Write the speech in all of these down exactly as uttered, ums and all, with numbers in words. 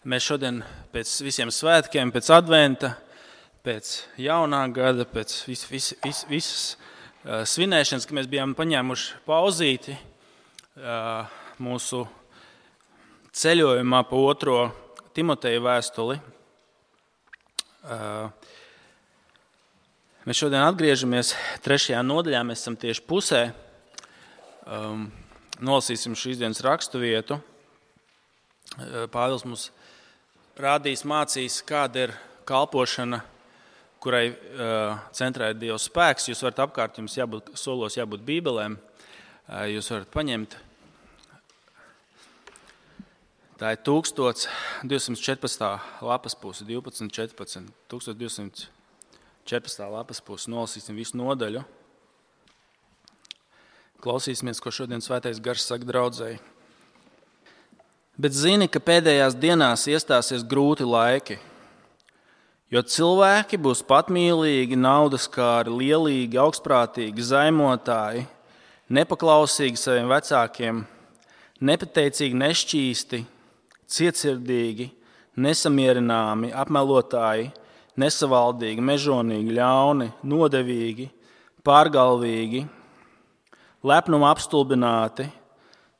Mēs šodien pēc visiem svētkiem, pēc adventa, pēc jaunā gada, pēc vis, vis, vis, visas uh, svinēšanas, ka mēs bijām paņēmuši pauzīti uh, mūsu ceļojumā pa otro Timoteja vēstuli. Uh, mēs šodien atgriežamies trešajā nodaļā, mēs esam tieši pusē. Um, nolasīsim šīs dienas rakstu vietu. Uh, Pāvils mums rādīs, mācīs, kāda ir kalpošana, kurai uh, centrā ir Dieva spēks. Jūs varat apkārt, jums jābūt, solos jābūt bībelēm. Uh, jūs varat paņemt. Tā ir tūkstoš divsimt četrpadsmitā lapas puse, divpadsmit četrpadsmit, tūkstoš divsimt četrpadsmitā lapas puse. Nolasīsim visu nodaļu. Klausīsimies, ko šodien svētais gars saka draudzēji. Bet zini, ka pēdējās dienās iestāsies grūti laiki, jo cilvēki būs patmīlīgi, naudaskāri, lielīgi, augstprātīgi, zaimotāji, nepaklausīgi saviem vecākiem, nepateicīgi, nešķīsti, cietsirdīgi, nesamierināmi, apmelotāji, nesavaldīgi, mežonīgi, ļauni, nodevīgi, pārgalvīgi, lepnuma apstulbināti,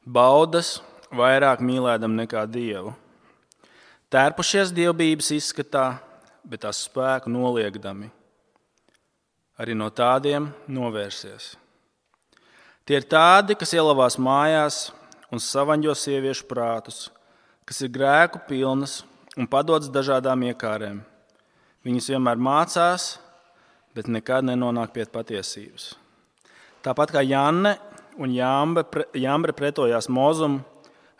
baudas, vairāk mīlēdam nekā Dievu. Tērpušies dievbības izskatā, bet tās spēku noliegdami. Arī no tādiem novērsies. Tie ir tādi, kas ielavās mājās un savaņģo sieviešu prātus, kas ir grēku pilnas un padodas dažādām iekārēm. Viņas vienmēr mācās, bet nekad nenonāk pie patiesības. Tāpat kā Janne un Jambre pretojās Mozumu,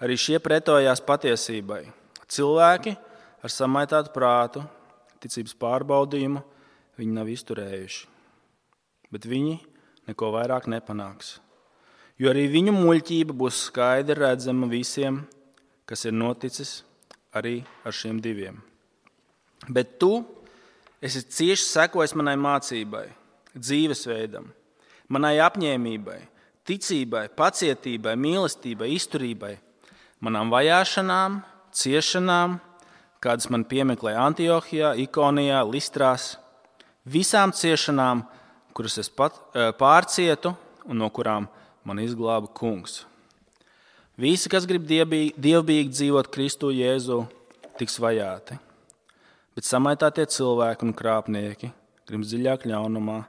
arī šie pretojās patiesībai. Cilvēki ar samaitātu prātu, ticības pārbaudījumu, viņi nav izturējuši. Bet viņi neko vairāk nepanāks. Jo arī viņu muļķība būs skaidri redzama visiem, kas ir noticis arī ar šiem diviem. Bet tu esi cieši sekojis manai mācībai, dzīvesveidam, manai apņēmībai, ticībai, pacietībai, mīlestībai, izturībai, manām vajāšanām, ciešanām, kādas man piemeklēja Antiohijā, Ikonijā, Listrās, visām ciešanām, kuras es pat pārcietu un no kurām man izglāba kungs. Visi, kas grib dievbīgi, dievbīgi dzīvot Kristu Jēzu, tiks vajāti, bet samaitātie cilvēki un krāpnieki grib dziļāk ļaunumā,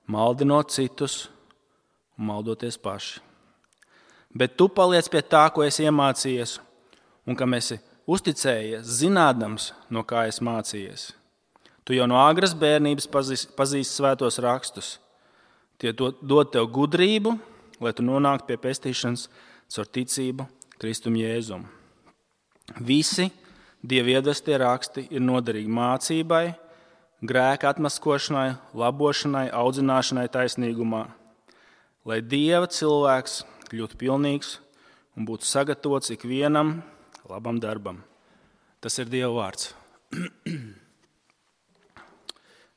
maldinot citus un maldoties paši. Bet tu paliec pie tā, ko esi iemācījies, un kam esi uzticējies, zinādams, no kā esi mācījies. Tu jau no agras bērnības pazīsti pazīst svētos rakstus. Tie dod tev gudrību, lai tu nonāktu pie pestīšanas caur ticību Kristum Jēzum. Visi Dieva iedvestie raksti ir noderīgi mācībai, grēka atmaskošanai, labošanai, audzināšanai taisnīgumā, lai Dieva cilvēks kļūtu pilnīgs un būtu sagatavots ikvienam labam darbam. Tas ir Dieva vārds.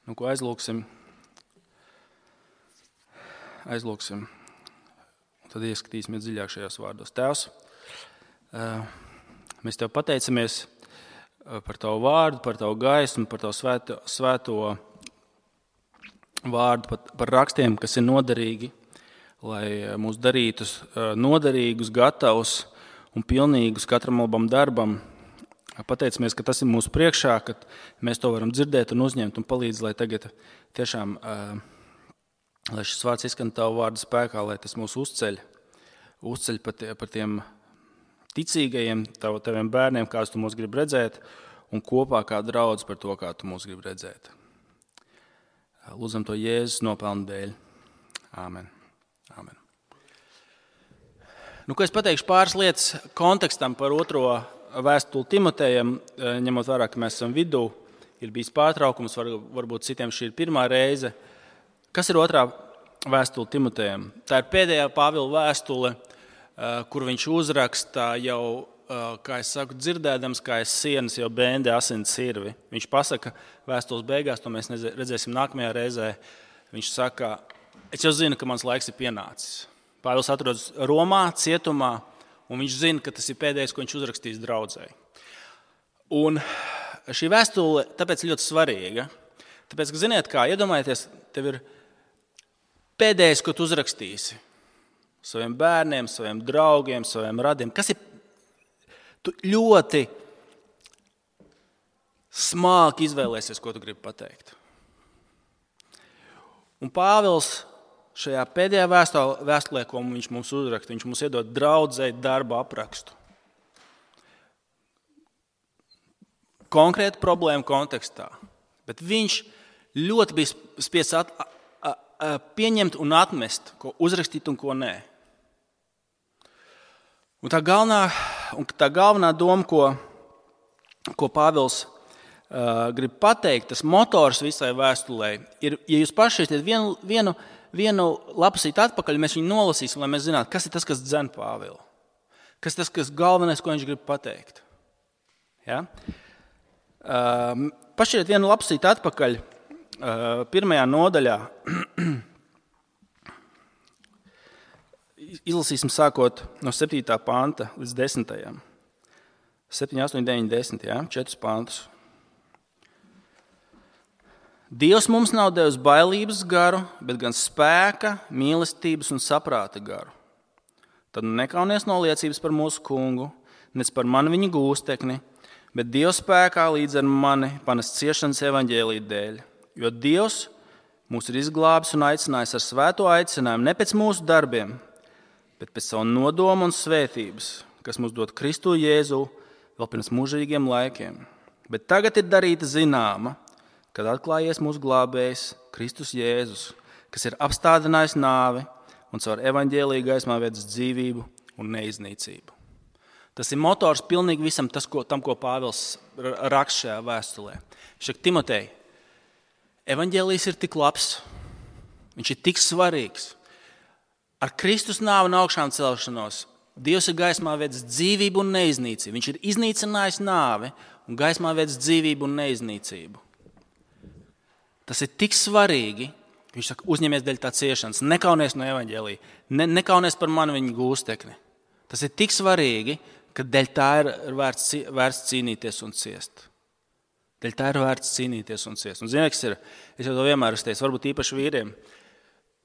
Nu, ko aizlūksim? Aizlūksim. Tad ieskatīsimies dziļāk šajos vārdos. Tēvs, mēs Tev pateicamies par Tavu vārdu, par Tavu gaismu, par Tavu svēto, svēto vārdu, par, par rakstiem, kas ir noderīgi, lai mūs darītu noderīgus, gatavus un pilnīgus katram labam darbam. Pateicamies, ka tas ir mūsu priekšā, ka mēs to varam dzirdēt un uzņemt un palīdz, lai tagad tiešām, lai šis vārds izskan Tavu vārdu spēkā, lai tas mūs uzceļ, uzceļ par tiem ticīgajiem, tav, taviem bērniem, kādus Tu mūs grib redzēt, un kopā kā draudz par to, kā Tu mūs grib redzēt. Lūdzam to Jēzus nopelnu dēļ. Āmen. Amen. Nu, ko es pateikšu pāris lietas kontekstam par otro vēstuli Timotejam, ņemot vērā, ka mēs esam vidū, ir bijis pārtraukums, var, varbūt citiem šī ir pirmā reize. Kas ir otrā vēstule Timotejam? Tā ir pēdējā Pāvila vēstule, kur viņš uzraksta jau, kā es saku, dzirdēdams, kā es sienas jau bēndi asins sirvi. Viņš pasaka vēstules beigās, to mēs redzēsim nākamajā reizē, viņš saka, es jau zinu, ka mans laiks ir pienācis. Pāvils atrodas Romā, cietumā, un viņš zina, ka tas ir pēdējais, ko viņš uzrakstīs draudzēji. Un šī vēstule tāpēc ļoti svarīga. Tāpēc, ka, ziniet kā, iedomājieties, tev ir pēdējais, ko tu uzrakstīsi saviem bērniem, saviem draugiem, saviem radiem. Kas ir tu ļoti smāki izvēlēsies, ko tu gribi pateikt. Un Pāvils šajā pēdējā vēstulē, ko viņš mums uzraksta, viņš mums iedod draudzei darba aprakstu. Konkrēta problēma kontekstā, bet viņš ļoti bija spiests at, a, a, pieņemt un atmest, ko uzrakstīt un ko nē. Un tā galvenā, un tā galvenā doma, ko, ko Pāvils uh, grib pateikt, tas motors visai vēstulē, ir, ja jūs paši esat vienu, vienu, vienu lapusīt atpakaļ, mēs viņu nolasīsim, lai mēs zinātu, kas ir tas, kas dzen Pāvilu. Kas ir tas, kas galvenais, ko viņš grib pateikt. Ja? Uh, pašķiet vienu lapsīt atpakaļ uh, pirmajā nodaļā. Izlasīsim sākot no septītā panta līdz desmitajam. septiņi, astoņi, deviņi, desmit, jā, četrus pantus. Dievs mums nav devis bailības garu, bet gan spēka, mīlestības un saprāta garu. Tad nekaunies no liecības par mūsu kungu, nec par mani viņa gūstekni, bet Dieva spēkā līdz ar mani panest ciešanas evaņģēlija dēļ. Jo Dievs mūs ir izglābis un aicinājis ar svēto aicinājumu ne pēc mūsu darbiem, bet pēc savu nodomu un svētības, kas mums dod Kristu Jēzu vēl pirms mūžīgiem laikiem. Bet tagad ir darīta zināma, kad atklājies mūsu glābējs Kristus Jēzus, kas ir apstādinājis nāvi un caur evaņģēliju gaismā vedis dzīvību un neiznīcību. Tas ir motors pilnīgi visam tas, ko, tam, ko Pāvils raksta šajā vēstulē. Viņš saka, Timotej, evaņģēlijs ir tik labs, viņš ir tik svarīgs. Ar Kristus nāvi un augšām celšanos Dievs ir gaismā vedis dzīvību un neiznīcību. Viņš ir iznīcinājis nāvi un gaismā vedis dzīvību un neiznīcību. Tas ir tik svarīgi, viņš saka, uzņemies dēļ tā ciešanas, nekaunies no evaņģēlija, ne, nekaunies par mani viņa gūstekni. Tas ir tik svarīgi, ka dēļ tā ir vērts, vērts cīnīties un ciest. Dēļ tā ir vērts cīnīties un ciest. Un ziniet, kas ir, es jau to vienmēr uzteicu, varbūt īpaši vīriem.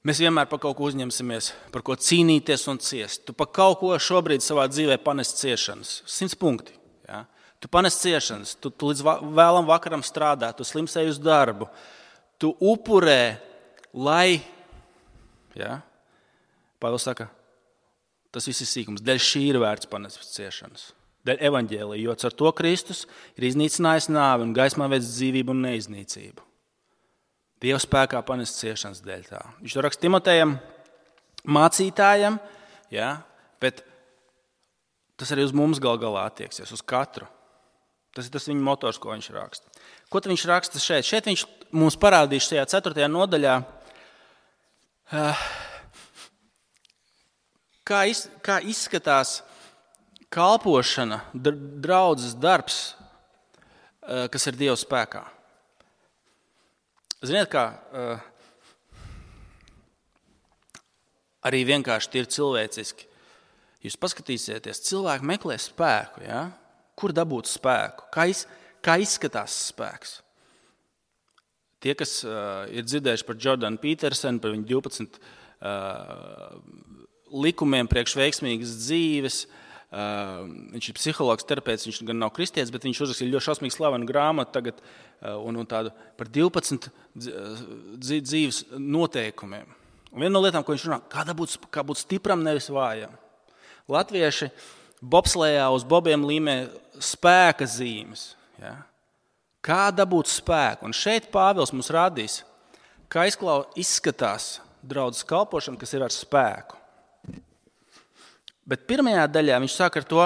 Mēs vienmēr par kaut ko uzņemsimies, par ko cīnīties un ciest. Tu par kaut ko šobrīd savā dzīvē panest ciešanas. Simts punkti. Ja? Tu panest ciešanas, tu, tu līdz vēlam vakaram strādā, tu slimsēji uz darbu. Tu upurē, lai, ja? Pāvils saka, tas viss ir sīkums. Dēļ šī ir vērts panest ciešanas. Dēļ evaņģēlija, jo ar to Kristus ir iznīcinājis nāvi un gaismā vedis dzīvību un neiznīcību. Dieva spēkā panest ciešanas dēļ tā. Viņš to raksta Timotejam, mācītājam, ja, bet tas arī uz mums gal galā attieksies, uz katru. Tas ir tas viņa motors, ko viņš raksta. Ko tad viņš raksta šeit? Šeit viņš mums parādīs šajā ceturtajā nodaļā, kā, iz, kā izskatās kalpošana, draudzes darbs, kas ir Dieva spēkā. Ziniet, kā arī vienkārši tie ir cilvēciski. Jūs paskatīsieties, cilvēki meklē spēku, ja? Kur dabūt spēku? Kā, iz, kā izskatās spēks? Tie, kas uh, ir dzirdējuši par Jordanu Petersenu, par viņu divpadsmit uh, likumiem priekš veiksmīgas dzīves, uh, viņš ir psihologs, terapeits, viņš gan nav kristietis, bet viņš uzrakstīja ļoti šausmīgi slavenu grāmatu tagad uh, un, un tādu par divpadsmit dzīves noteikumiem. Un viena no lietām, ko viņš runā, kā būt, kā būt stipram, nevis vājam. Latvieši bobslējā uz bobiem līmē spēka zīmes. Ja? Kā dabūt spēku? Un šeit Pāvils mums rādīs, kā izskatās draudzes kalpošana, kas ir ar spēku. Bet pirmajā daļā viņš sāk ar to,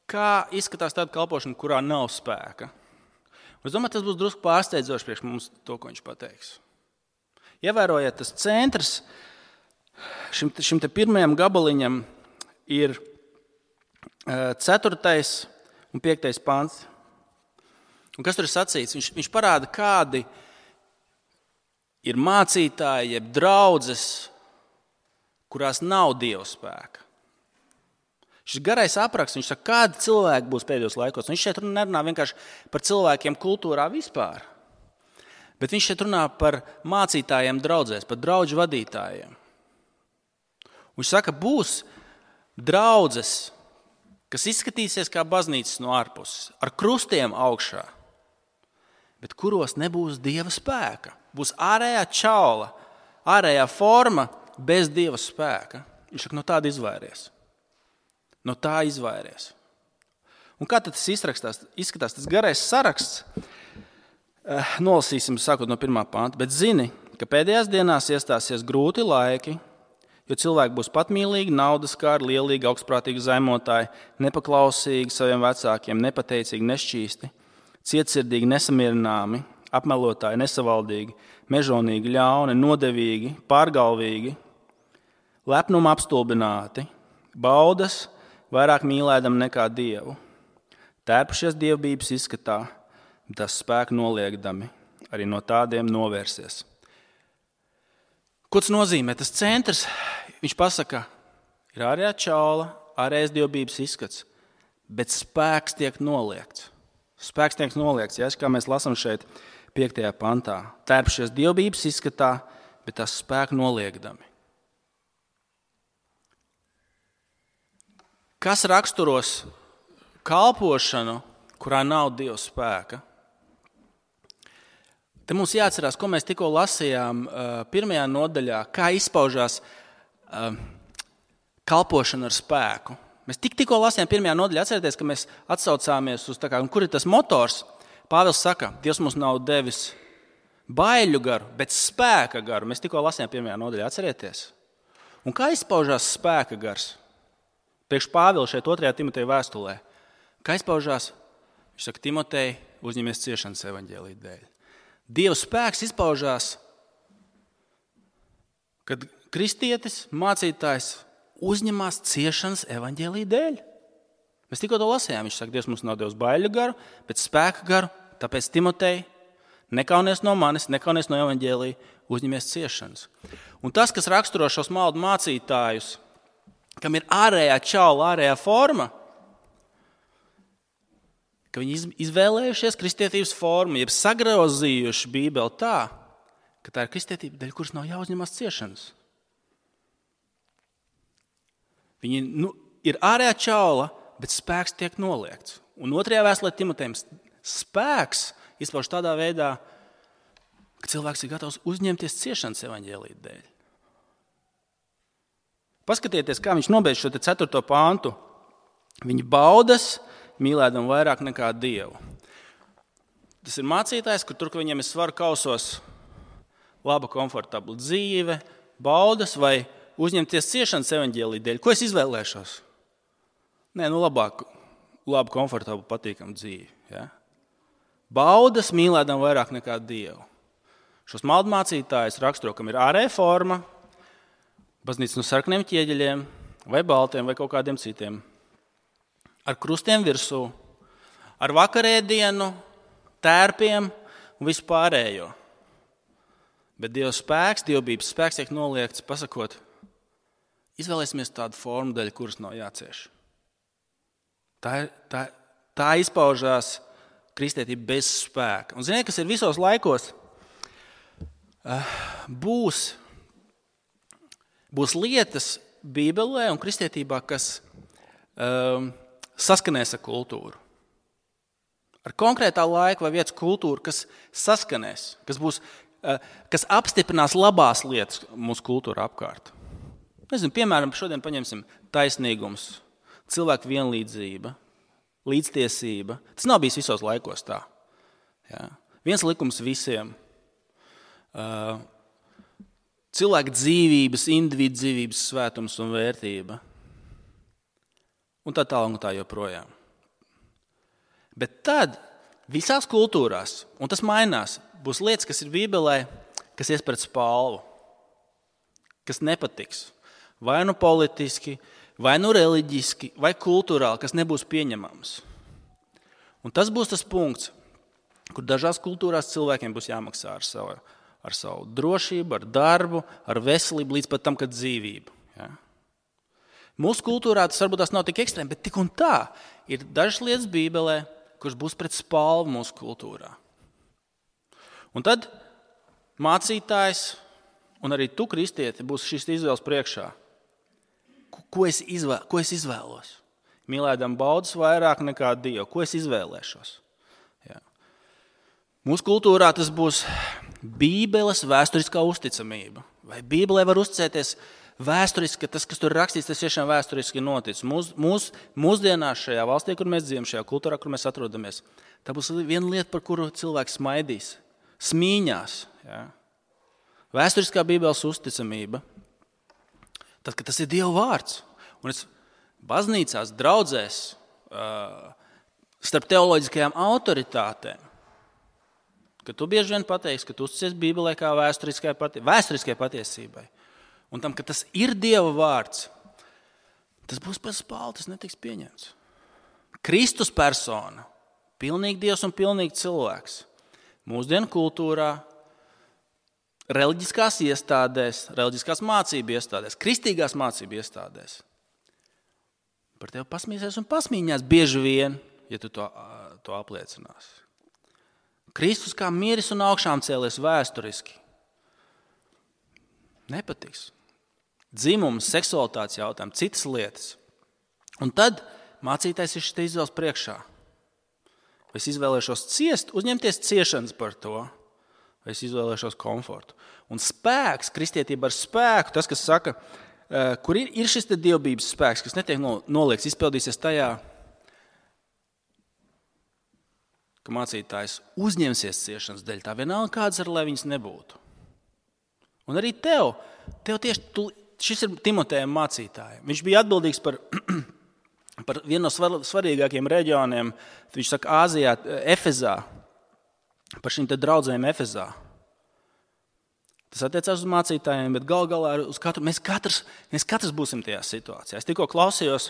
kā izskatās tāda kalpošana, kurā nav spēka. Es domāju, tas būs drusku pārsteidzoši priekš mums to, ko viņš pateiks. Ievērojiet, tas centrs šim, šim te pirmajam gabaliņam ir ceturtais un piektais pants. Un kas tur ir sacīts? Viņš, viņš parāda, kādi ir mācītāji, jeb draudzes, kurās nav Dieva spēka. Šis garais apraksts, viņš saka, kādi cilvēki būs pēdējos laikos. Un viņš šeit nerunā vienkārši par cilvēkiem kultūrā vispār, bet viņš šeit runā par mācītājiem draudzēs, par draudžu vadītājiem. Un viņš saka, būs draudzes, kas izskatīsies kā baznīcas no ārpuses, ar krustiem augšā, bet kuros nebūs Dieva spēka. Būs ārējā čaula, ārējā forma bez Dieva spēka. Viņš saka, no tāda izvairies. No tā izvairies. Un kā tad tas izrakstās, izskatās? Tas garais saraksts, eh, nolasīsim sākot no pirmā panta, bet zini, ka pēdējās dienās iestāsies grūti laiki, jo cilvēki būs patmīlīgi, naudaskāri, lielīgi, augstprātīgi zaimotāji, nepaklausīgi saviem vecākiem, nepateicīgi, nešķīsti, cietsirdīgi, nesamierināmi, apmelotāji, nesavaldīgi, mežonīgi, ļauni, nodevīgi, pārgalvīgi, lepnuma apstulbināti, baudas, vairāk mīlēdam nekā Dievu, tērpušies dievbības izskatā, tas spēku noliekdami, arī no tādiem novērsies. Ko tas nozīmē? Tas centrs, viņš pasaka, ir ārējā čaula, ārējais dievbības izskats, bet spēks tiek noliekts. Spēks tiek noliekts, ja, kā mēs lasām šeit piektajā pantā. Tērpušies dievbības izskatā, bet tas spēku noliekdami. Kas raksturos kalpošanu, kurā nav Dieva spēka? Te mums jāatcerās, ko mēs tikko lasījām pirmajā nodaļā, kā izpaužās kalpošana ar spēku. Mēs tik, tikko lasījām pirmajā nodaļā, atcerieties, ka mēs atsaucāmies uz tā kā, kur ir tas motors. Pāvils saka, Dievs mums nav devis baiļu garu, bet spēka garu. Mēs tikko lasījām pirmajā nodaļā, atcerieties. Un kā izpaužās spēka gars? Priekš Pāvila šeit otrajā Timoteja vēstulē. Kā izpaužās? Viņš saka, Timotej, uzņemies ciešanas evaņģēlija dēļ. Dieva spēks izpaužās, kad kristietis, mācītājs uzņemās ciešanas evaņģēlija dēļ. Mēs tikko to lasījām. Viņš saka, Dievs mums nav devis baiļu garu, bet spēka garu, tāpēc Timotej, nekaunies no manis, nekaunies no evaņģēlija, uzņemies ciešanas. Un tas, kas raksturo šos maldu mācītājus, kam ir ārējā čaula, ārējā forma, ka viņi izvēlējušies kristietības formu, jeb sagrozījuši Bībeli tā, ka tā ir kristietība, dēļ kuras nav jāuzņemās ciešanas. Viņi nu, ir ārējā čaula, bet spēks tiek noliekts. Un otrajā vēstulē Timotejam spēks izpauž tādā veidā, ka cilvēks ir gatavs uzņemties ciešanas evaņģēlija dēļ. Paskatieties, kā viņš nobeidz šo ceturto pāntu. Viņi baudas, mīlēdam vairāk nekā Dievu. Tas ir mācītājs, kur tur, ka viņiem ir svaru kausos laba, komfortabla dzīve, baudas vai uzņemties ciešanas evaņģēlija dēļ. Ko es izvēlēšos? Nē, nu labāk, labu, komfortablu, patīkamu dzīvi. Ja? Baudas, mīlēdam vairāk nekā Dievu. Šos maldu mācītājus raksturo, kam ir ārēja forma, baznīca no sarkaniem ķieģeļiem, vai baltiem, vai kaut kādiem citiem. Ar krustiem virsū, ar vakarēdienu, tērpiem un vispārējo. Bet Dieva spēks, dievbības spēks tiek noliekts, pasakot, izvēlēsimies tādu formu daļu, kuras nav jācieš. Tā, tā, tā izpaužās kristietība bez spēka. Un ziniet, kas ir visos laikos? Būs, būs lietas Bībelē un kristietībā, kas um, saskanēs ar kultūru. Ar konkrētā laika vai vietas kultūru, kas saskanēs, kas, būs, kas apstiprinās labās lietas mūsu kultūra apkārt. Nezinu, piemēram, šodien paņemsim taisnīgums, cilvēku vienlīdzība, līdztiesība. Tas nav bijis visos laikos tā. Jā. Viens likums visiem. Uh, cilvēka dzīvības, individu dzīvības svētums un vērtība. Un tā tālāk un tā joprojām. Bet tad visās kultūrās, un tas mainās, būs lietas, kas ir Bībelē, kas ies pret spalvu, kas nepatiks. Vai nu politiski, vai nu reliģiski, vai kultūrāli, kas nebūs pieņemams. Un tas būs tas punkts, kur dažās kultūrās cilvēkiem būs jāmaksā ar savu, ar savu drošību, ar darbu, ar veselību, līdz pat tam, kad dzīvību. Ja? Mūsu kultūrā tas varbūt tas nav tik ekstrēmi, bet tik un tā ir dažas lietas Bībelē, kuras būs pret spalvu mūsu kultūrā. Un tad mācītājs un arī tu, kristieti, būs šīs izvēles priekšā. Ko es, izvēl, ko es izvēlos? Mīlēdam baudas vairāk nekā Dievu. Ko es izvēlēšos? Jā. Mūsu kultūrā tas būs Bībeles vēsturiskā uzticamība. Vai Bībelē var uzticēties vēsturiski, ka tas, kas tur rakstīts, tas tiešām vēsturiski noticis. Mūs, mūs, mūsdienās šajā valstī, kur mēs dzīvojam, šajā kultūrā, kur mēs atrodamies, tā būs viena lieta, par kuru cilvēks smaidīs, smīņās. Jā. Vēsturiskā Bībeles uzticamība, tad, kad tas ir Dieva vārds. Un es baznīcās, draudzēs, starp teoloģiskajām autoritātēm, ka tu bieži vien pateiksi, ka tu uzticies Bībelē kā vēsturiskai, patie, vēsturiskai patiesībai. Un tam, ka tas ir Dieva vārds, tas būs par spālu, tas netiks pieņemts. Kristus persona, pilnīgi Dievs un pilnīgi cilvēks. Mūsdienu kultūrā, reliģiskās iestādēs, reliģiskās mācību iestādēs, kristīgās mācību iestādēs. Par tevi pasmīsies un pasmīņās bieži vien, ja tu to, to apliecinās. Kristus kā miris un augšām cēlies vēsturiski. Nepatiks. Dzimums, seksualitātes jautājumi, citas lietas. Un tad mācītājs ir šeit izvēles priekšā. Vai es izvēlēšos ciest, uzņemties ciešanas par to, vai es izvēlēšos komfortu. Un spēks, kristietība ar spēku, tas, kas saka, kur ir, ir šis te dievbības spēks, kas netiek noliekts, izpildīsies tajā, ka mācītājs uzņemsies ciešanas dēļ, tā vienalga kādas ar, lai viņas nebūtu. Un arī tev, tev tieši, tu, šis ir Timotejam mācītājiem. Viņš bija atbildīgs par, par vienu no svar, svarīgākiem reģioniem, viņš saka, Āzijā, Efezā, par šīm te draudzēm Efezā. Tas attiecās uz mācītājiem, bet gal galā uz katru, mēs katrs, mēs katrs būsim tajā situācijā. Es tikko klausījos,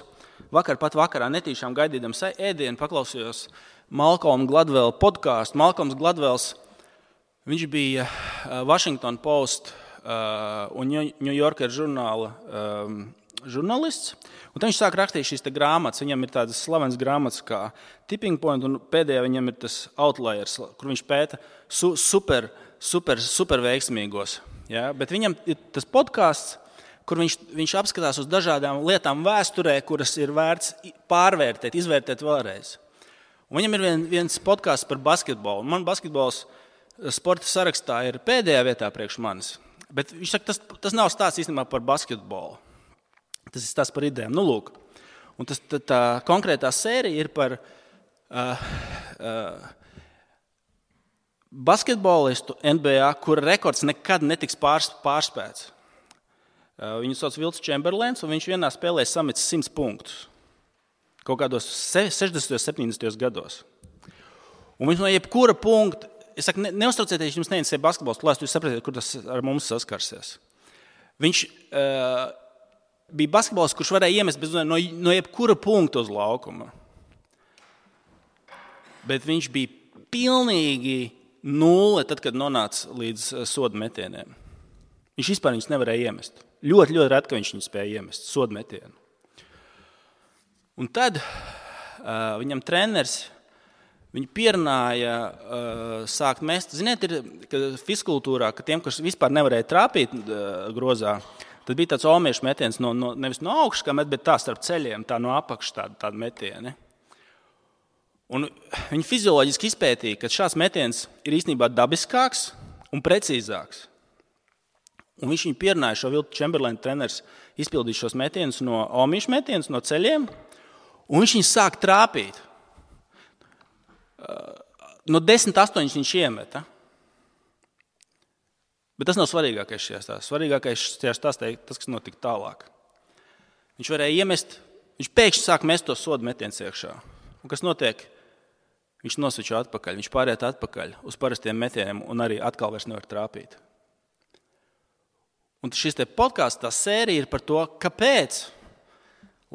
vakar pat vakarā netīšām gaidīdams ēdienu, paklausījos Malcolm Gladwell podcastu. Malcolms Gladwells, viņš bija Washington Post un New Yorker žurnāla um, žurnālists. Un viņš sāk rakstīt šīs te grāmatas. Viņam ir tādas slavenas grāmatas kā Tipping Point, un pēdējā viņam ir tas Outliers, kur viņš pēta su, super, super, super veiksmīgos. Ja? Bet viņam ir tas podcasts, kur viņš, viņš apskatās uz dažādām lietām vēsturē, kuras ir vērts pārvērtēt, izvērtēt vēlreiz. Un viņam ir vien, viens podcasts par basketbolu. Man basketbols sporta sarakstā ir pēdējā vietā priekš manis. Bet viņš saka, tas, tas nav stāsts īstenībā par basketbolu. Tas ir stāsts par idejām. Nu, lūk. Un tas, tā, tā konkrētā sērija ir par uh, uh, basketbolistu N B A, kura rekords nekad netiks pārs, pārspēts. Uh, viņu sauc Vilts Čemberlens, un viņš vienā spēlē sametis simts punktus. Kaut kādos sešdesmitajos, septiņdesmitajos gados. Un viņš no jebkura punkta, es saku, ne, neuztraucieties, jums neinteresē basketbols klāsts, jūs sapratiet, kur tas ar mums saskarsies. Viņš uh, bija basketbols, kurš varēja iemest bez, no, no jebkura punkta uz laukuma. Bet viņš bija pilnīgi nulle, tad, kad nonāca līdz soda metieniem. Viņš vispār viņus nevarēja iemest. Ļoti, ļoti ret, ka viņš viņus spēja iemest, soda metienu. Un tad uh, viņam treneris, viņu pierunāja uh, sākt mest. Ziniet, ir ka fizkultūrā, ka tiem, kas vispār nevarēja trāpīt uh, grozā, tad bija tāds olmiešu metiens no, no, nevis no augšas, kā met, bet tā starp ceļiem, tā no apakšas tāda, tāda metieni. Un viņi fizioloģiski izpētīja, ka šāds metiens ir īstenībā dabiskāks un precīzāks. Un viņš viņu pierunāja, šo Viltu Čemberlenu treneris izpildīt šos metienus no olmiešu metienus, no ceļiem, un viņš viņu sāk trāpīt. No desmit astoņus viņš iemeta. Bet tas nav svarīgākais šajā stāstā. Svarīgākais šajā stāstā ir tas, kas notika tālāk. Viņš varēja iemest, viņš pēkšņi sāk mest to sodu metienus iekšā. Un kas notiek? Viņš nosvičo atpakaļ, viņš pāriet atpakaļ uz parastiem metieniem un arī atkal vairs nevar trāpīt. Un šis te podcasts, tā sērija ir par to, kāpēc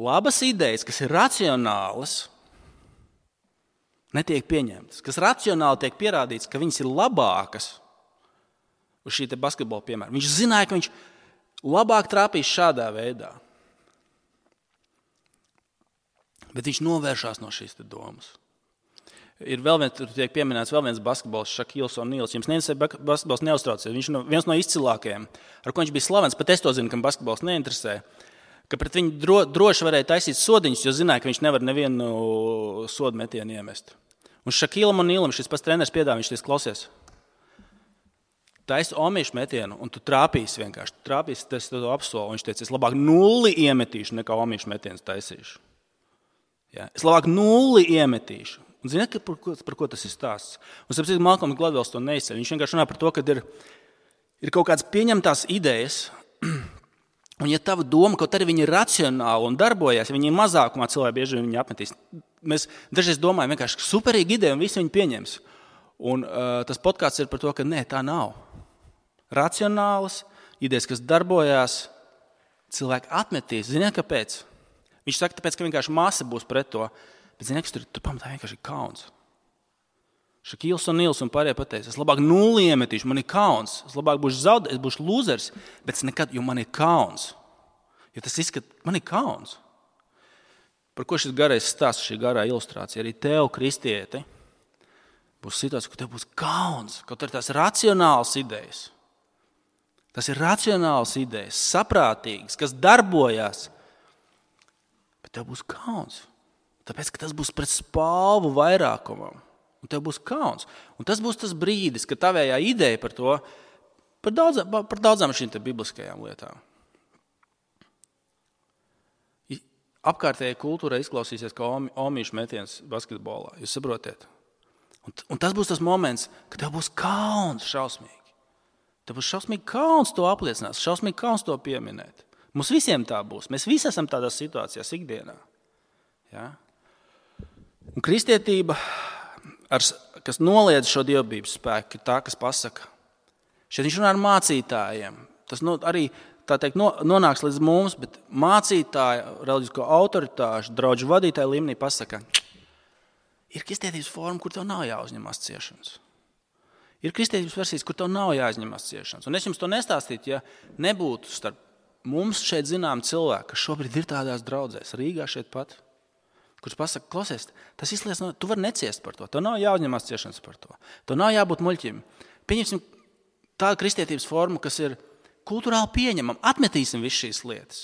labas idejas, kas ir racionālas, netiek pieņemtas. Kas racionāli tiek pierādīts, ka viņas ir labākas uz šī te basketbola piemēra. Viņš zināja, ka viņš labāk trāpīs šādā veidā. Bet viņš novēršās no šīs domas. Ir vēl viens, tur tiek pieminēts vēl viens basketbols, Šakils O'Neals. Jums neinteresē basketbols, neuztraucies. Viņš ir viens no izcilākajiem, ar ko viņš bija slavens. Pat es to zinu, kam basketbols neinteresē. Ka pret viņu dro, droši varēja taisīt sodiņus, jo zināja, ka viņš nevar nevienu sodu metienu iemest. Un Šakilam O'Nealam šis pats treneris piedāvā, viņš teiks, klausies. Taisi omīšu metienu, un tu trāpīsi vienkārši. Tu trāpīsi, tas to apsolu. Viņš teica, es labāk nulli iemetīšu, nekā omīšu metienus taisīšu. Ja? Es labāk nulli iemetīšu. Un ziniet, par ko, par ko tas ir stāsts? Un sapratu, Malcolms Gladwells to neizceļ. Viņš vienkārši runā par to, ka ir, ir kaut kādas pieņemtās idejas, un ja tava doma, kaut arī viņi ir racionāli un darbojas, ja viņi ir mazākumā, cilvēki bieži viņi apmetīs. Mēs dažreiz domājam, vienkārši superīga ideja, un visi viņi pieņems. Un uh, tas podkāsts ir par to, ka nē, tā nav. Racionālas idejas, kas darbojās, cilvēki atmetīs. Ziniet, kāpēc? Viņš saka, tāpēc, ka vienkārši masa būs pret to. Bet ziniet, kas tur, tur pamatā vienkārši ir kauns. Šakils O'Neals un pārējie pateica, es labāk nulli iemetīšu, man ir kauns. Es labāk būšu zaudējis, es būšu lūzers, bet es nekad, jo man ir kauns. Jo tas izskat, man ir kauns. Par ko šis garais stāsts, šī garā ilustrācija? Arī tev, kristieti, būs situācija, ka tev būs kauns. Kaut arī tās racionālas idejas. Tas ir racionāls idejas, saprātīgas, kas darbojās. Bet tev būs kauns. Tāpēc, ka tas būs pret spalvu vairākumam. Un tev būs kauns. Un tas būs tas brīdis, kad tavējā ideja par to, par daudzām, par daudzām šīm te bibliskajām lietām. Apkārtējai kultūrai izklausīsies kā omīšu metiens basketbolā. Jūs saprotiet? Un, un tas būs tas moments, kad tev būs kauns šausmīgi. Tev būs šausmīgi kauns to apliecināt, šausmīgi kauns to pieminēt. Mums visiem tā būs. Mēs visi esam tādās situācijās ikdienā. Ja? Un kristietība, ar, kas noliedz šo dievbības spēku, ir tā, kas pasaka. Šeit viņš runā ar mācītājiem. Tas no, arī tā teikt, no, nonāks līdz mums, bet mācītāja, reliģisko autoritāšu, draudžu vadītāju līmenī pasaka, ir kristietības forma, kur tev nav jāuzņemās ciešanas. Ir kristietības versijas, kur tev nav jāuzņemās ciešanas. Un es jums to nestāstītu, ja nebūtu starp mums šeit zinām cilvēki, kas šobrīd ir tādās draudzēs, Rīgā šeit pat, kurš pasaka, klausies, tas izliecina, tu vari neciest par to, tev nav jāuzņemās ciešanas par to, tev nav jābūt muļķim. Pieņemsim tādu kristietības formu, kas ir kultūrāli pieņemama, atmetīsim visu šīs lietas.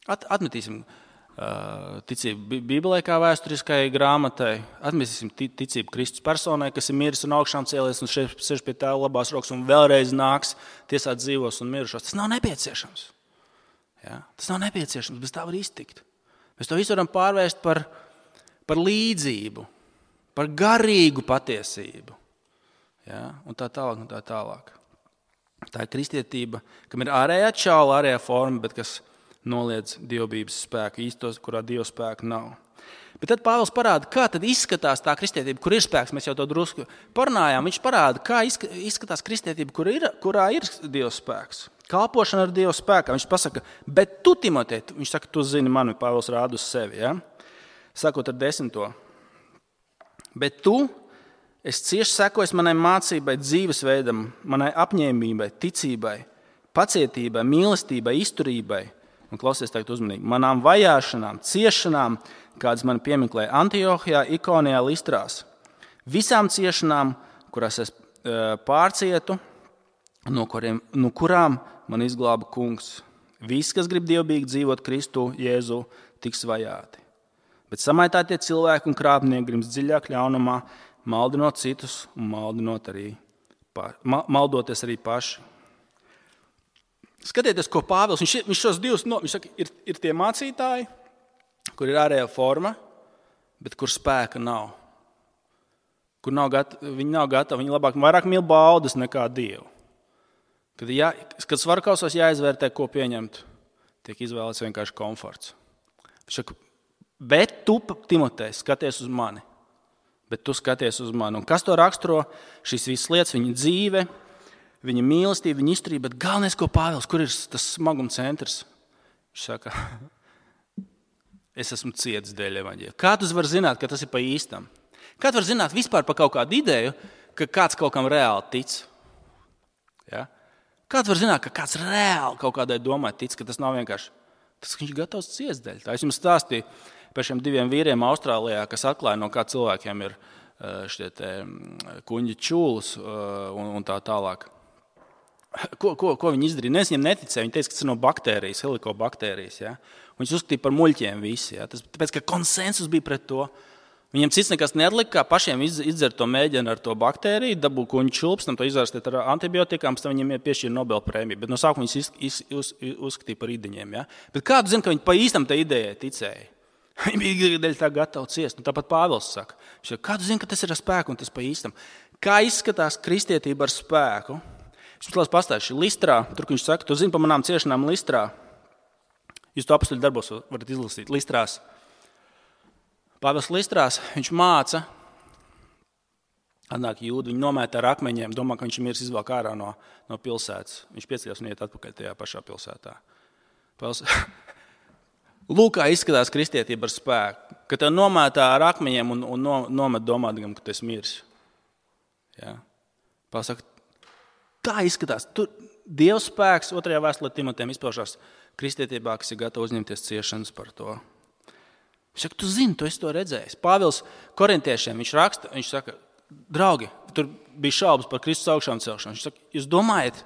At, atmetīsim uh, ticību Bībelē kā vēsturiskai grāmatai, atmetīsim ticību Kristus personai, kas ir miris un augšām cēlies un sēž pie tēva labās rokas un vēlreiz nāks tiesāt dzīvos un mirušos. Tas nav nepieciešams. Ja? Tas nav nepieciešams, bez tā var iztikt. Mēs to visu varam pārvērst par, par līdzību, par garīgu patiesību. Ja? Un tā tālāk, un tā tālāk. Tā ir kristietība, kam ir ārējā čaula, ārējā forma, bet kas noliedz dievbības spēku, īstos, kurā dieva spēka nav. Bet tad Pāvils parāda, kā tad izskatās tā kristietība, kur ir spēks. Mēs jau to drusku parunājām. Viņš parāda, kā izskatās kristietība, kur ir, kurā ir dieva spēks. Kalpošana ar Dieva spēkā. Viņš pasaka, bet tu, Timotej, viņš saka, tu zini mani, Pāvils rāda uz sevi, ja? Sākot ar desmito. Bet tu, es cieši sekoju manai mācībai, dzīvesveidam, manai apņēmībai, ticībai, pacietībai, mīlestībai, izturībai. Un klausies tagad uzmanīgi. Manām vajāšanām, ciešanām, kādas man piemeklēja Antiohijā, Ikonijā, Listrās. Visām ciešanām, kurās es pārcietu, no, kuriem, no kurām man izglāba kungs. Visi, kas grib dievbīgi dzīvot Kristu, Jēzu, tiks vajāti. Bet samaitātie cilvēki un krāpnieki grims dziļāk ļaunumā, maldinot citus un maldinot arī, maldoties arī paši. Skatieties, ko Pāvils, viņš, viņš šos divus, no, viņš saka, ir, ir tie mācītāji, kur ir ārējā forma, bet kur spēka nav. Kur nav gatavi, viņi nav gatavi, viņi labāk vairāk mīl baudas nekā Dievu. Kad, jā, kad svarkausos jāizvērtē, ko pieņemt, tiek izvēlēts vienkārši komforts. Viņš saka, bet tu, Timotej, skaties uz mani. Bet tu skaties uz mani. Un kas to raksturo? Šīs visas lietas, viņa dzīve, viņa mīlestība, viņa izturība, bet galvenais, ko Pāvils, kur ir tas smaguma centrs? Viņš saka, es esmu cietis dēļ evaņģēļa. Kā tu vari zināt, ka tas ir pa īstam? Kā tu vari zināt vispār par kaut kādu ideju, ka kāds kaut kam reāli tic? Ja? Kā tu vari zināt, ka kāds reāli kaut kādai domai tic, ka tas nav vienkārši Tas, ka viņš ir gatavs ciest dēļ tā. Es jums stāstīju par šiem diviem vīriem Austrālijā, kas atklāja, no kā cilvēkiem ir šie te kuņģi čūlas un, un tā tālāk. Ko, ko, ko viņi izdarīja? Nu, es viņiem neticēju. Viņi teica, ka tas ir no baktērijas, helikobaktērijas. Ja? Viņus uzskatīja par muļķiem visi. Ja? Tas, tāpēc, ka konsensus bija pret to. Viņiem cits nekas neatlika, kā pašiem izdzert to mēģinu ar to baktēriju, dabūt kuņģu čulpes, tam to izārstēt ar antibiotikām, pēc tam viņiem piešķīra Nobel prēmiju. Bet no sākuma viņus iz, iz, uz, uzskatīja par idiņiem. Ja? Bet kādu zina, ka viņi pa īstam tai idejai ticēja? Viņi bija dēļ tā gatavi ciest. Un tāpat Pāvils saka, kādu zina, ka tas ir ar spēku un tas pa īstam? Kā izskatās kristietība ar spēku? Es jums pastāstīšu, Listrā, tur viņš saka, tu zini par manām ciešanām Listrā. Jūs to apstuļu darbos varat izlasīt. Listrās. Pāvils Listrās, viņš māca, atnāk jūdi, viņi nomēta ar akmeņiem, domā, ka viņš ir miris izvelk ārā no, no pilsētas. Viņš pieceļas un iet atpakaļ tajā pašā pilsētā. Pāvils, lūk, kā izskatās kristietība ar spēku, ka tev nomētā ar akmeņiem un, un no, nomet domādam, ka tu esi miris. Ja? Pāvils saka, tā izskatās. Tur Dieva spēks otrajā vēstulē Timotejam izpaužās kristietībā, kas ir gatava uzņemties ciešanas par to. Viņš saka, tu zini, tu esi to redzējis. Pāvils korintiešiem, viņš raksta, viņš saka, draugi, tur bija šaubas par Kristus augšām celšanu. Viņš saka, jūs domājat,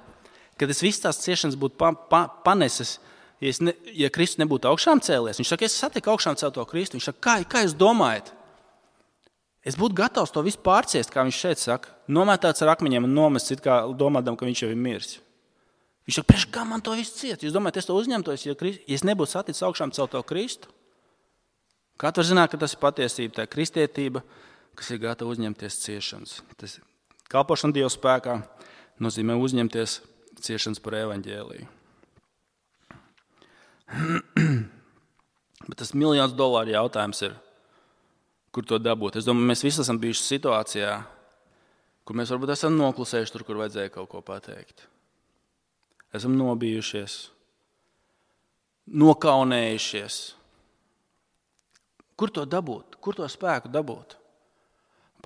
ka tas viss tās ciešanas būtu pa, pa, paneses, ja, ne, ja Kristus nebūtu augšām cēlies? Viņš saka, es satiku augšām celto Kristu. Viņš saka, kā, kā jūs domājat? Es būtu gatavs to visu pārciest, kā viņš šeit saka, nomētāts ar akmeņiem un nomests, it kā domādam, ka viņš jau ir miris. Viņš saka, priekš kā man to visu ciet? Jūs domājat, es to uzņemtos, ja, Krist, ja es nebūtu saticis augšām celto Kristu? Kā tu var zināt, ka tas ir patiesība, tā kristietība, kas ir gatava uzņemties ciešanas? Tas kalpošana Dieva spēkā nozīmē uzņemties ciešanas par evaņģēliju. Bet tas miljons dolāru jautājums ir, kur to dabūt. Es domāju, mēs visi esam bijuši situācijā, kur mēs varbūt esam noklusējuši tur, kur vajadzēja kaut ko pateikt. Esam nobijušies, nokaunējušies. Kur to dabūt? Kur to spēku dabūt?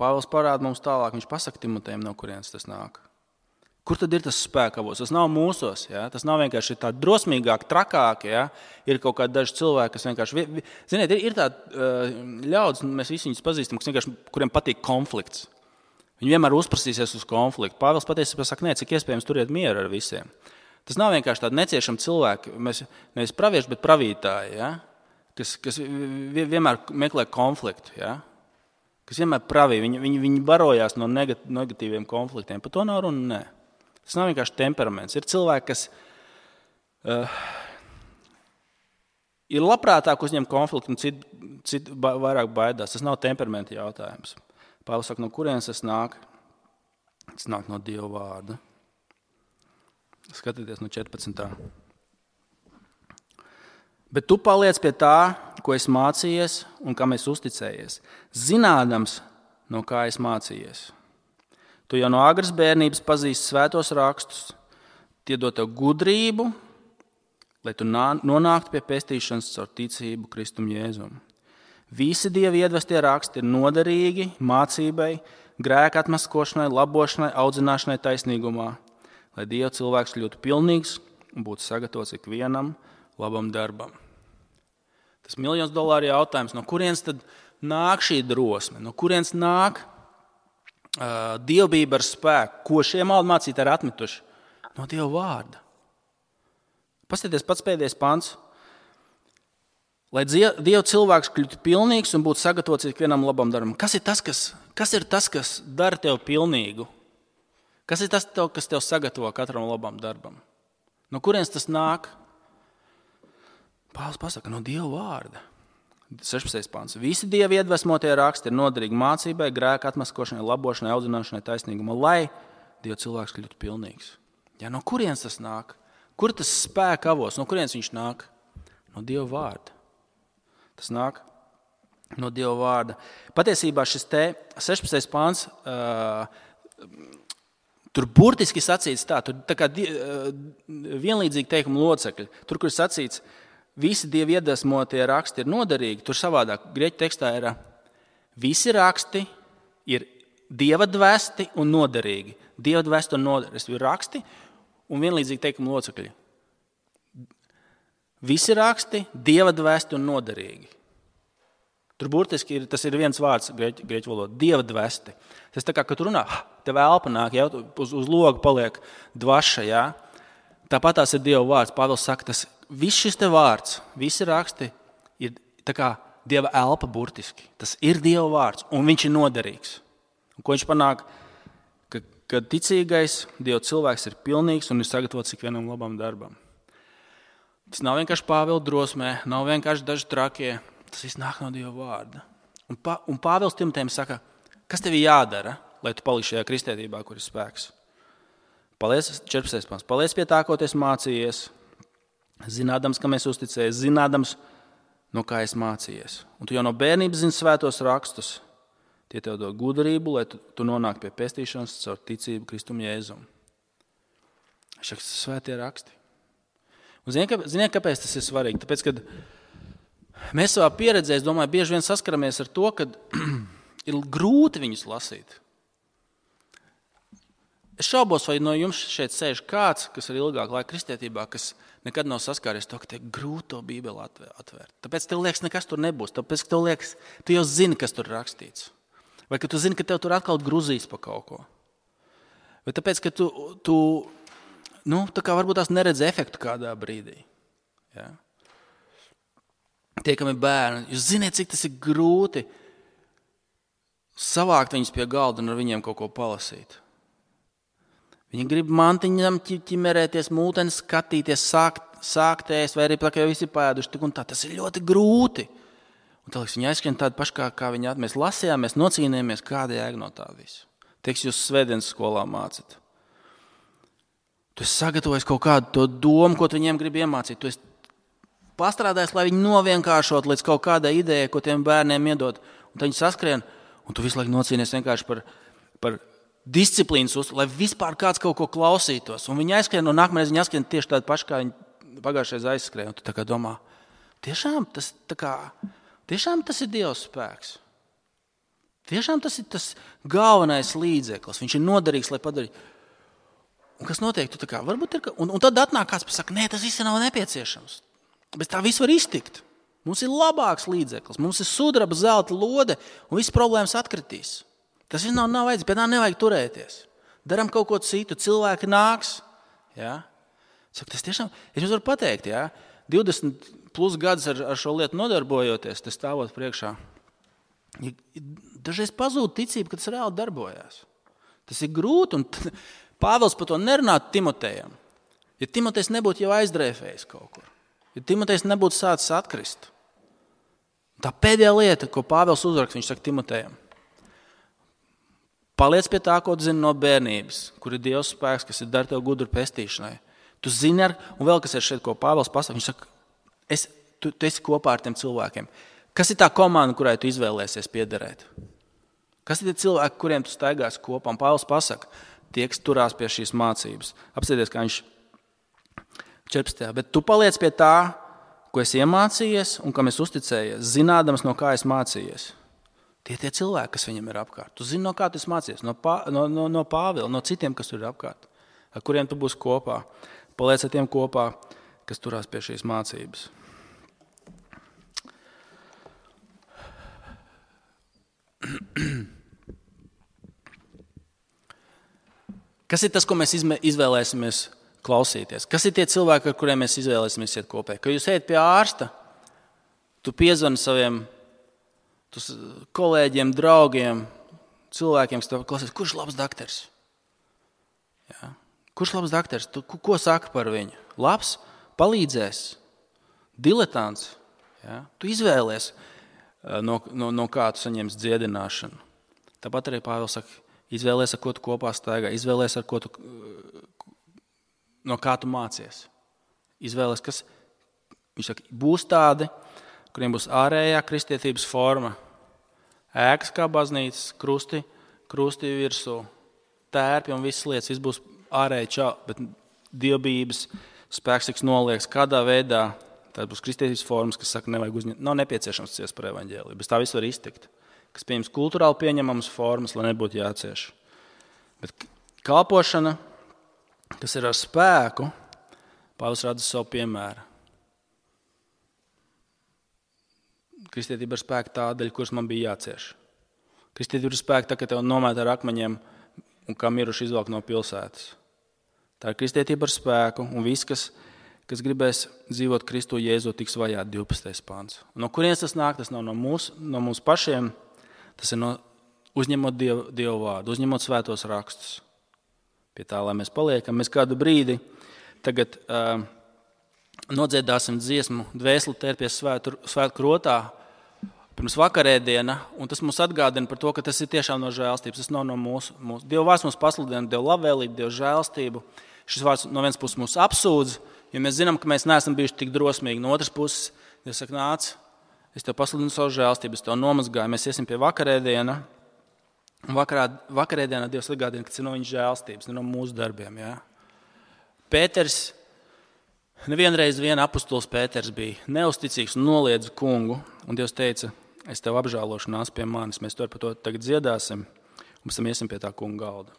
Pāvils parāda mums tālāk, viņš pasaka Timotejam, no kurienes tas nāk. Kur tad ir tas spēkavos? Tas nav mūsos, ja? Tas nav vienkārši tā drosmīgāk, trakāk, ja? Ir kaut kādi daži cilvēki, kas vienkārši, ziniet, ir, ir tādi ļaudis, mēs visi viņus pazīstam, kas vienkārši, kuriem patīk konflikts. Viņi vienmēr uzprasīsies uz konfliktu. Pāvils patiesībā saka, nē, cik iespējams turiet mieru ar visiem. Tas nav vienkārši tādi neciešami cilvēki, mēs nevis pravieši, bet pravītāji, ja? kas, kas vienmēr meklē konfliktu, ja? Kas vienmēr pravī, viņi, viņi, viņi barojās no negatīviem konfliktiem. Par to nav runa, nē. Tas nav vienkārši temperaments. Ir cilvēki, kas uh, ir labprātāk uzņem konfliktu un citi cit vairāk baidās. Tas nav temperamenta jautājums. Pāvils saka, no kurienes tas nāk? Tas nāk no Dieva vārda. Skatieties no četrpadsmitā. Bet tu paliec pie tā, ko es mācījies un kam es uzticējies, zinādams, no kā es mācījies. Tu jau no agras bērnības pazīsti svētos rakstus, tie dod tev gudrību, lai tu nonāktu pie pestīšanas caur ticību Kristum Jēzum. Visi Dieva iedvestie raksti ir noderīgi mācībai, grēka atmaskošanai, labošanai, audzināšanai taisnīgumā, lai Dieva cilvēks kļūtu pilnīgs un būtu sagatavots ikvienam labam darbam. Tas miljons dolāru jautājums, no kurienes tad nāk šī drosme, no kurienes nāk uh, dievbijība ar spēku, ko šie maldmācītāji ir atmetuši? No Dieva vārda. Paskatieties pats pēdējais pants. Lai Dieva cilvēks kļūtu pilnīgs un būtu sagatavots ikvienam labam darbam. Kas ir tas, kas, kas ir tas, kas dara tev pilnīgu? Kas ir tas, tev, kas tev sagatavo katram labam darbam? No kurienes tas nāk? Pāvils pasaka, no Dieva vārda. sešpadsmitais pants. Visi Dieva iedvesmotie raksti ir noderīgi mācībai, grēka atmaskošanai, labošanai, audzināšanai, taisnīgumā, lai Dieva cilvēks kļūtu pilnīgs. Ja, no kurienes tas nāk? Kur tas spēka avos? No kurienes viņš nāk? No Dieva vārda. Tas nāk no Dieva vārda. Patiesībā šis te sešpadsmitais pants, uh, tur burtiski sacīts tā, tur tā kā uh, vienlīdzīgi teikuma locekļi. Tur, kur sacīts, visi Dieva iedvesmotie raksti ir noderīgi, tur savādāk grieķu tekstā ir visi raksti ir Dieva dvēsti un noderīgi. Dieva dvēsti un noderīgi ir raksti un vienlīdzīgi teikuma locekļi. Visi raksti, Dieva dvēsti un noderīgi. Tur burtiski ir, tas ir viens vārds grieķu, grieķu valodā – Dieva dvēsti. Tas tā kā, kad tu runā, tev elpa nāk, ja, uz, uz loga paliek dvaša, ja. Tāpat tās ir Dieva vārds. Pāvils saka, tas viss šis te vārds, visi raksti ir tā kā Dieva elpa burtiski. Tas ir Dieva vārds, un viņš ir noderīgs. Un ko viņš panāk? Ka, kad ticīgais Dieva cilvēks ir pilnīgs un ir sagatavots ikvienam labam darbam. Tas nav vienkārši Pāvila drosmē, nav vienkārši daži trakie. Tas viss nāk no Dieva vārda. Un, pa, un Pāvils Timotejam saka, kas tev jādara, lai tu paliksi šajā kristietībā, kur ir spēks? Paliec, četrpadsmitais pants. Paliec pie tā, ko tu esi mācījies, zinādams, kam esi uzticējies, zinādams, no kā esi mācījies. Un tu jau no bērnības zini svētos rakstus. Tie tev dod gudrību, lai tu, tu nonāk pie pestīšanas caur ticību Kristum Jēzum. Šie svētie raksti. Un ziniet, ziniet, kāpēc tas ir svarīgi? Tāpēc, kad mēs savā pieredzē, es domāju, bieži vien saskaramies ar to, ka ir grūti viņus lasīt. Es šaubos, vai no jums šeit sēž kāds, kas ir ilgāk laika kristietībā, kas nekad nav saskāries to, ka te grūti to Bībeli atvērt. Tāpēc tev liekas, nekas tur nebūs. Tāpēc tev liekas, tu jau zini, kas tur rakstīts. Vai ka tu zini, ka tev tur atkal gruzīs pa kaut ko. Vai tāpēc, ka tu, tu nu, tā kā varbūt tās neredz efektu kādā brīdī. Ja? Tie, kam ir bērni, jūs ziniet, cik tas ir grūti savākt viņus pie galda un ar viņiem kaut ko palasīt. Viņi grib mantiņam ķimerēties, mūteni skatīties, sākt, sākt ēst, vai arī tā, ka jau visi pēduši tik un tā. Tas ir ļoti grūti. Un tā, viņi aizskrien tādi paši, kā, kā viņi at. Mēs lasījām, mēs nocīnījāmies, kāda jēga no tā visu. Tieks jūs svētdienas skolā mācīt. Tu esi sagatavojis kaut kādu to domu, ko tu viņiem grib iemācīt. Tu esi pastrādājis, lai viņi novienkāršot līdz kaut kādai idejai, ko tiem bērniem iedod. Un tad viņi saskrien, un tu visu laiku nocīnies vienkārši par, par disciplīnas uzturu, lai vispār kāds kaut ko klausītos. Un viņi aizskrien, un nākamreiz viņi aizskrien tieši tādi paši, kā viņi pagājušais aizskrēja. Un tu tā kā domā, tiešām tas, tā kā, tiešām tas ir Dieva spēks. Tiešām tas ir tas galvenais līdzeklis. Viņš ir noderīgs, lai padarītu. Un kas notiek? Tu tā kā, varbūt ir, un, un tad atnāk kāds, kas saka, nē, tas viss nav nepieciešams. Bet tā viss var iztikt. Mums ir labāks līdzeklis. Mums ir sudraba, zelta lode, un viss problēmas atkritīs. Tas viss nav, nav vajadzīgs, pēc tā nevajag turēties. Daram kaut ko citu, cilvēki nāks. Ja? Saka, tas tiešām, es jums varu pateikt, ja? divdesmit plus gadus ar, ar šo lietu nodarbojoties, tas stāvot priekšā. Dažreiz pazūd ticība, ka tas reāli darbojās. Tas ir grūti, un Pāvils par to nerunātu Timotejam. Ja Timotejs nebūtu jau aizdrēfējis kaut kur, ja Timotejs nebūtu sācis atkrist. Tā pēdējā lieta, ko Pāvils uzrakst, viņš saka Timotejam. Paliec pie tā, ko tu zini no bērnības, kur ir Dievs spēks, kas ir dar tev gudru pestīšanai. Tu zini, ar, un vēl kas ir šeit, ko Pāvils pasaka, viņš saka, es, tu, tu esi kopā ar tiem cilvēkiem. Kas ir tā komanda, kurai tu izvēlēsies piederēt? Kas ir tie cilvēki, kuriem tu staigās kopā? Un Pāvils pasaka, tie, kas turās pie šīs mācības. Apsēties, kā viņš četrpadsmitajā. Bet tu paliec pie tā, ko esi iemācījies un kam esi uzticējies, zinādams, no kā esi mācījies. Tie tie cilvēki, kas viņam ir apkārt. Tu zini, no kā tu esi mācījies, no, pā, no, no, no Pāvila, no citiem, kas tur ir apkārt, ar kuriem tu būsi kopā. Paliec ar tiem kopā, kas turās pie šīs mācības. Kas ir tas, ko mēs izvēlēsimies klausīties? Kas ir tie cilvēki, ar kuriem mēs izvēlēsimies iet kopē? Kad jūs ejat pie ārsta, tu piezvani saviem kolēģiem, draugiem, cilvēkiem, kas tev klausīs, kurš labs dakters? Ja? Kurš labs dakters? Tu, ko saka par viņu? Labs, palīdzēs, diletants. Ja? Tu izvēlies, no, no, no kā tu saņems dziedināšanu. Tāpat arī Pāvils saka, izvēlies, ar ko tu kopā staigā, izvēlies, ar ko tu, no kā tu mācies. Izvēlies, kas, viņš saka, būs tādi, kuriem būs ārējā kristietības forma, ēkas kā baznīcas, krusti, krusti virsū, tērpi un visas lietas, viss būs ārēji čau, bet dievbības spēks tiks noliekts kādā veidā, tad būs kristietības formas, kas saka, nevajag uzņemt, nav nepieciešams ciest par evaņģēliju, bet tā viss var iztikt. Kas pieņems kulturāli pieņemamas formas, lai nebūtu jācieš. Bet kalpošana, kas ir ar spēku, Pāvils rada savu piemēru. Kristietība ir spēka tādēļ, kuras man bija jācieš. Kristietība ir spēka tā, ka tev nomēt ar akmeņiem un kā miruši izvelk no pilsētas. Tā ir kristietība ar spēku, un viss, kas, kas gribēs dzīvot Kristu Jēzu, tiks vajāti divpadsmitais pants. No kurienes tas nāk? Tas nav no mūsu, no mūsu pašiem, tas ir no uzņemot Dievu, Dievu vārdu, uzņemot svētos rakstus. Pie tā, lai mēs paliekam, mēs kādu brīdi tagad uh, nodziedāsim dziesmu Dvēseli tērpies svētu, svētu krotā pirms vakarēdiena, un tas mums atgādina par to, ka tas ir tiešām no žēlstības. Tas nav no mūsu. mūsu. Dieva vārds mums pasludina Dievu labvēlību, Dievu žēlstību. Šis vārds no vienas puses mūs apsūdz, jo mēs zinām, ka mēs neesam bijuši tik drosmīgi. No otras puses, Dievs saka, nāc, es tev pasludinu savu žēlstību, es tev nomazgāju, mēs iesim pie vakarēdiena. Un vakarā, vakarēdienā Dievs atgādina, ka tas ir no viņa žēlstības, ne no mūsu darbiem. Ja? Pēters, nevienreiz vien apustulis Pēters bija neusticīgs un noliedza kungu, un Dievs teica, es tev apžēlošu, nāc pie manis, mēs to par to tagad dziedāsim, un pēc tam iesim pie tā kunga galda.